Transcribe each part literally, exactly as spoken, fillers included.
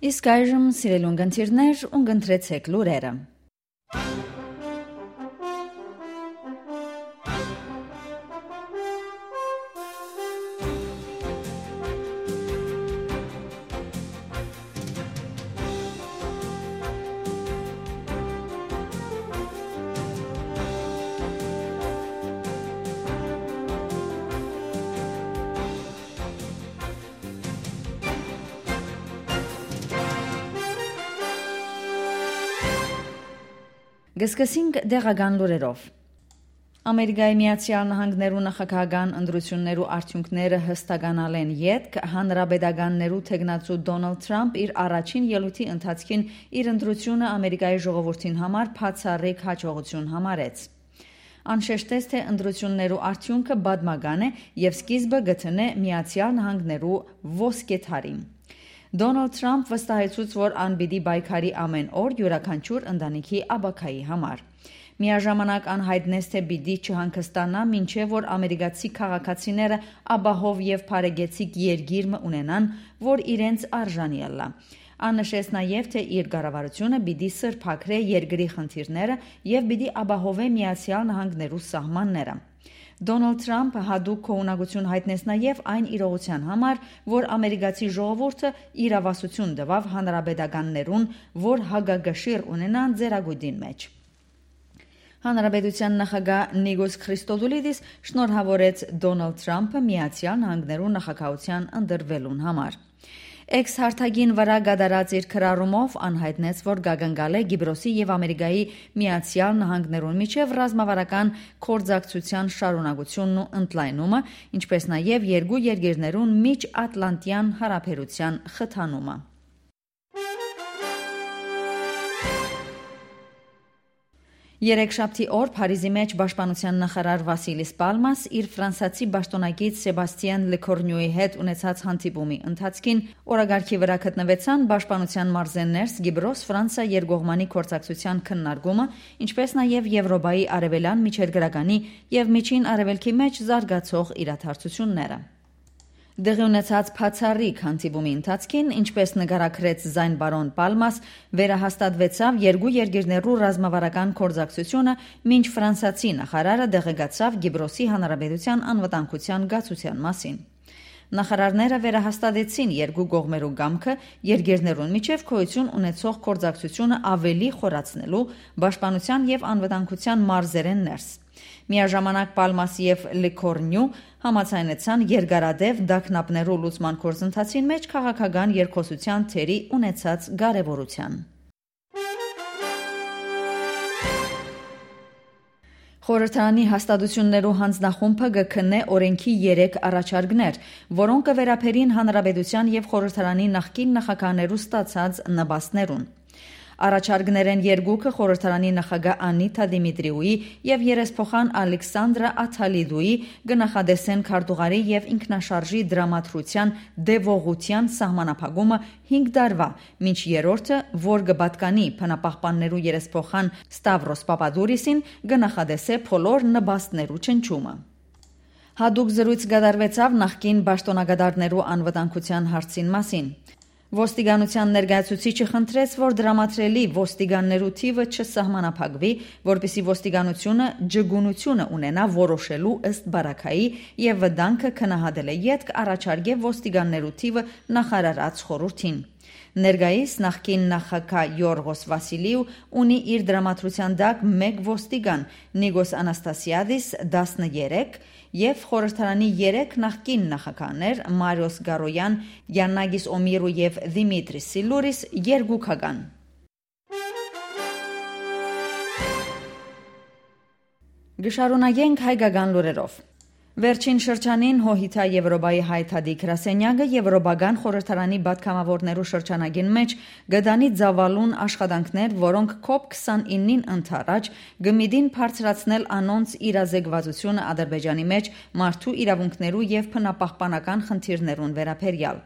Իսկ այժմ սիրելի ունգընտիրներ, ունգընտրեցեք լուրերը։ Գսկսինք դեղական լուրերով։ Ամերիկայի Միացյալ Նահանգներու նախագահական ընտրություններու արդյունքները հստականալ են ետք հանրապետականներու թեկնածու Դոնալդ Թրամփ իր առաջին ելույթի ընթացքին իր ընտրությունը Ամերիկայի ժողովրդին համար բացառիկ հաջողություն համարեց։ Անշեշտեց, թե ընտրություններու արդյունքը պատմական է եւ սկիզբը գտնե Միացյալ Նահանգներու ոսկե թարին։ Դոնալդ Թրամփ վստահեցուց, որ անպիտի պայքարի ամեն օր յուրաքանչյուր ընտանիքի աբակայի համար։ Միաժամանակ անհայտնեց, թե պիտի չհանգստանա, մինչև որ ամերիկացի քաղաքացիները ապահով եւ բարեկեցիկ երկիր մը ունենան, որ իրենց արժանի ըլլա։ Աննշեց նաև, թե իր կառավարությունը պիտի սրբակրե երկրի խնդիրները եւ պիտի ապահովե Միացյալ Նահանգներու սահմանները։ Դոնալդ Թրամփը հատուկ քողունակություն հայտնեց նաև այն իրողության համար, որ ամերիկացի ժողովուրդը իրավասություն տվավ հանրապետականներուն, որ հագագշիր ունենան ձեռագույտին մեջ։ Հանրապետության նախագահ Նիկոս Քրիստոդուլիդիս շնորհավորեց Դոնալդ Թրամփը Միացյալ Նահանգներու նախագահության ընտրվելուն համար։ Էքս հարթակին վրա գդարած իր քրարումով անհայտնեց, որ գագնգալ է Կիպրոսի եւ Ամերիկայի Միացյալ Նահանգներուն միջև ռազմավարական կորձակցության շարունակությունն ու ընդլայնումը, ինչպես նաեւ երկու երկրներուն միջատլանտյան հարաբերության խթանումը։ Երեքշաբթի օր Փարիզի մեջ պաշտպանության նախարար Վասիլիս Պալմաս իր ֆրանսացի պաշտոնակից Սեբաստիան Լեկորնյուի հետ ունեցած հանդիպումի ընթացքին օրագարկի վրա գտնվեցան պաշտպանության մարզերներ Կիպրոս Ֆրանսիա երկկողմանի կորձակցության քննարկումը, ինչպես նաև Եվրոպայի արևելյան միջերկրականի եւ միջին արևելքի մեջ զարգացող իրադարձությունները։ Դեղի ունեցած բացառիկ հանդիպումի ընթացքին, ինչպես նկարագրեց Զայն բարոն Պալմաս, վերահաստատվեցավ երկու երկրներու ռազմավարական կորձակցությունը, մինչ ֆրանսիացի նախարարը դեղեկացավ Կիպրոսի հանրապետության անվտանգության գացության մասին։ Նախարարները վերահաստատեցին երկու կողմերու կամքը երկրներուն միջև գոյություն ունեցող կորձակցությունը ավելի խորացնելու պաշտպանության եւ անվտանգության մարզերեն ներս։ Միաժամանակ Պալմաս եւ Լեկորնյու համաձայնեցան երկարադեպ դակնապներու լուծման գործընթացին մեջ քաղաքական երկխոսության թերի ունեցած կարևորության։ Խորհրդարանի հաստատություններու հանձնախումբը գքնե օրենքի երեք առաջարկներ, որոնք կվերապերին հանրապետության եւ խորհրդարանի նախկին նախագահներու ստացած նպաստներուն։ Առաջարկներեն երկուքը խորհրդարանի նախագահ Անիտա Դիմիտրիուի եւ երեսփոխան Ալեքսանդրա Աթալիդուի գնահատեսեն քարտուղարի եւ ինքնաշարժի դրամատրության դեվողության սահմանափակումը հինգ տարվա, մինչ երրորդը, որ կպատկանի փնապահպաններու երեսփոխան Ստավրոս Պապադուրիսին, գնահատեսե բոլոր նպաստներու չնչումը։ Հատուկ զրույց կատարվեցավ նախկին պաշտոնակատարներու անվտանգության հարցին մասին։ Ոստիկանության ներկայացուցիչը խնդրեց, որ դրամատրելի ոստիկաններու թիվը չսահմանափակվի, որպեսզի ոստիկանությունը ջգունությունը ունենա որոշելու ըստ բարակայի եւ վտանգը քննադատել է յետք առաջարկե ոստիկաններու թիվը նախարարած խորհրդին։ Ներկայիս նախկին նախագահ Յորգոս Վասիլիու ունի իր դրամատրության տակ մեկ ոստիգան Նիկոս Անաստասիադիս տասներեք եւ խորհրդարանի երեք նախկին նախագահներ Մարիոս Գարոյան, Յաննագիս Օմիրու եւ Դիմիտրի Սիլուրիս երկուքական։ Գշարունակենք հայկական լուրերով։ Վերջին շրջանին հոհիթա Եվրոպայի հայտարարի գրասենյակը Եվրոպական խորհրդարանի պատգամավորներու շրջանագին մեջ գտանի ծավալուն աշխատանքներ, որոնք կոպ քսանինին ընթരാճ գմիդին բարձրացնել անոնց իրազեկվածությունը Ադրբեջանի մեջ մարդու իրավունքներու եւ բնապահպանական խնդիրներուն վերաբերյալ։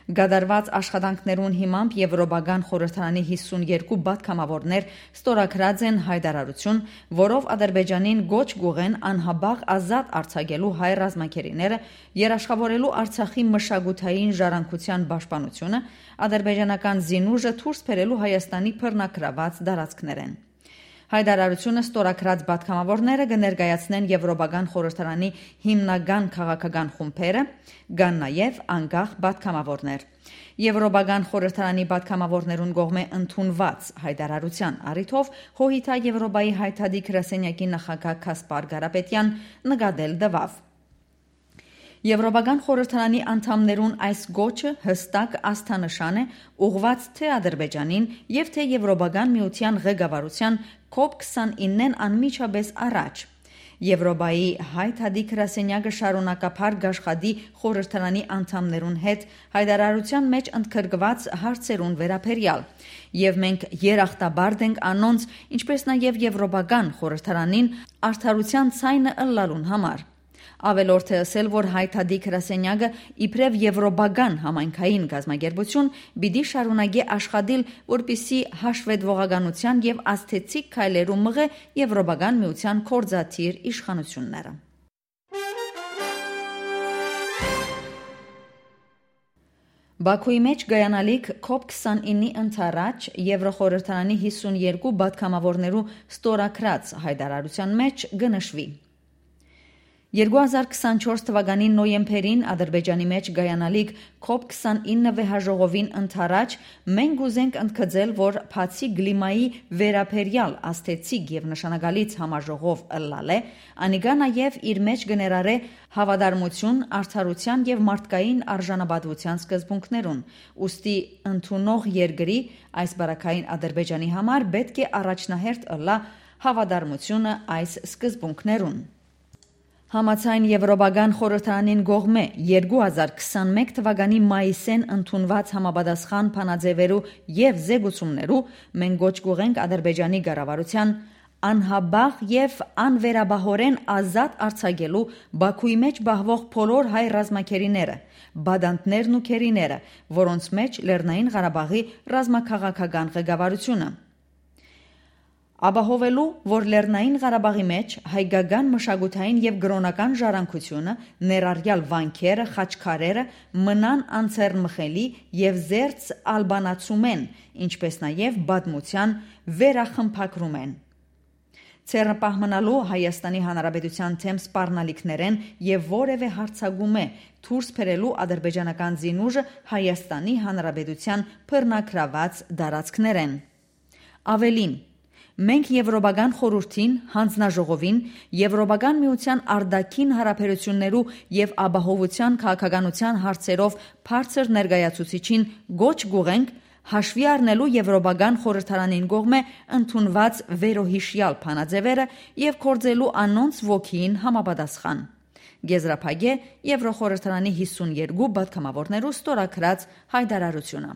Գադարված աշխատանքներուն հիմամբ Եվրոպական խորհրդարանի հիսունյերկու պատգամավորներ ստորագրած են հայտարարություն, որով Ադրբեջանին գոչ գուղեն անհաբաղ ազատ արձակելու հայ ռազմաքերիները, երաշխավորելու Արցախի մշակութային ժառանգության պաշտպանությունը, ադրբեջանական զինուժը դուրս բերելու Հայաստանի բռնագրաված տարածքներեն։ Հայտարարությունը ստորագրած պատգամավորները կներկայացնեն Եվրոպական խորհրդարանի հիմնական քաղաքական խումբերը, կան նաև անկախ պատգամավորներ։ Եվրոպական խորհրդարանի պատգամավորներուն կողմէ ընդունված հայտարարության առիթով ՀՅԴ Եվրոպայի հայտարարի գրասենյակի նախագահ Կասպար Կարապետյան նկատել տվավ։ Եվրոպական խորհրդարանի անդամներուն այս գոչը հստակ աստանշան է ուղղված թե Ադրբեջանին եւ թե Եվրոպական միության ղեկավարության կոպ քսանինն անմիջապես առաջ։ Եվրոպայի հայտարարի գրասենյակը շարունակապար գաշխատի խորհրդարանի անդամներուն հետ հայտարարության մեջ ընդգրկված հարցերուն վերաբերյալ, եւ մենք երախտաբարդ ենք անոնց, ինչպես նաեւ Եվրոպական խորհրդարանին արդարության ցայնը ըլլալուն համար։ Ավելորդ է ասել, որ հայտարարի գրասենյակը իբրև եվրոպական համայնքային գազམ་ագերբություն պիտի շարունակի աշխատել, որպեսզի հաշվետվողականության եւ աստեցիկ քայլերու մղե Եվրոպական միության կորզաթիր իշխանությունները։ Բաքուի մեջ գայանալիք կոպ քսանինի ընթരാճ Եվրոխորհրդարանի հիսունյերկու պատգամավորներու ստորագրած հայտարարության մեջ կնշվի։ երկու հազար քսանչորս թվականի նոյեմբերին Ադրբեջանի մեջ գայանալիք կոպ քսանինը վեհաժողովին ընթരാճ մենք ուզենք ընդգծել, որ բացի գլիմայի վերաբերյալ աստեցիկ եւ նշանակալից համաժողով ըլլալ է, անիկա նաեւ իր մեջ կներառե հավատարմություն, արդարության եւ մարդկային արժանապատվության սկզբունքներուն։ Ուստի ընդունող երկրի այս բարակային Ադրբեջանի համար պետք է առաջնահերթ ըլլա հավատարմությունը այս սկզբունքներուն։ Համաձայն Եվրոպական խորհրդարանին կողմէ երկու հազար քսանմեկ թվականի մայիսեն ընդունված համապատասխան բանաձևերու եւ զեկուցումներու մենք գոչ կուղենք Ադրբեջանի կառավարության անհաբաղ եւ անվերաբահորեն ազատ արձակելու Բաքուի մեջ բահվող բոլոր հայ ռազմաքերիները, բադանտներն ու քերիները, որոնց մեջ Լեռնային Ղարաբաղի ռազմաքաղաքական ղեկավարությունը։ Ապահովելու, որ Լեռնային Ղարաբաղի մեջ հայկական մշակութային եւ գրոնական ժառանգությունը, ներառյալ վանքերը, խաչքարերը, մնան անձեռնմխելի եւ զերծ ալբանացումեն, ինչպես նաեւ պատմության վերախմբագրումեն։ Ցերնապահմանալու Հայաստանի Հանրապետության թեմ սպառնալիքներեն եւ որևէ հարցագումե դուրս բերելու ադրբեջանական զինուժը Հայաստանի Հանրապետության բռնագրաված տարածքներեն։ Ավելին, մենք Եվրոպական խորհրդին, հանձնաժողովին, Եվրոպական միության արտաքին հարաբերություններու եւ ապահովության քաղաքականության հարցերով բարձր ներկայացուցիչին գոչ կուղենք հաշվի առնելու Եվրոպական խորհրդարանին կողմէ ընդունված վերոհիշյալ բանաձևերը եւ կորձելու անոնց ոգին համապատասխան։ Գեզրափագե Եվրոխորհրդարանի հիսունյերկու պատգամավորներու ստորագրած հայտարարությունը։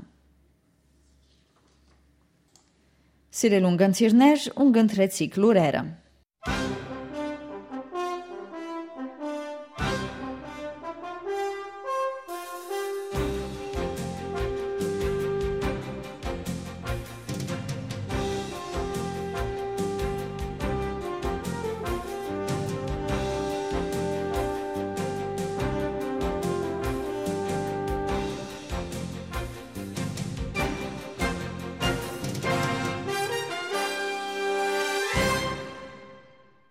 Սիրելուն գընթիրներ, ունգընտրեցիք լուրերը։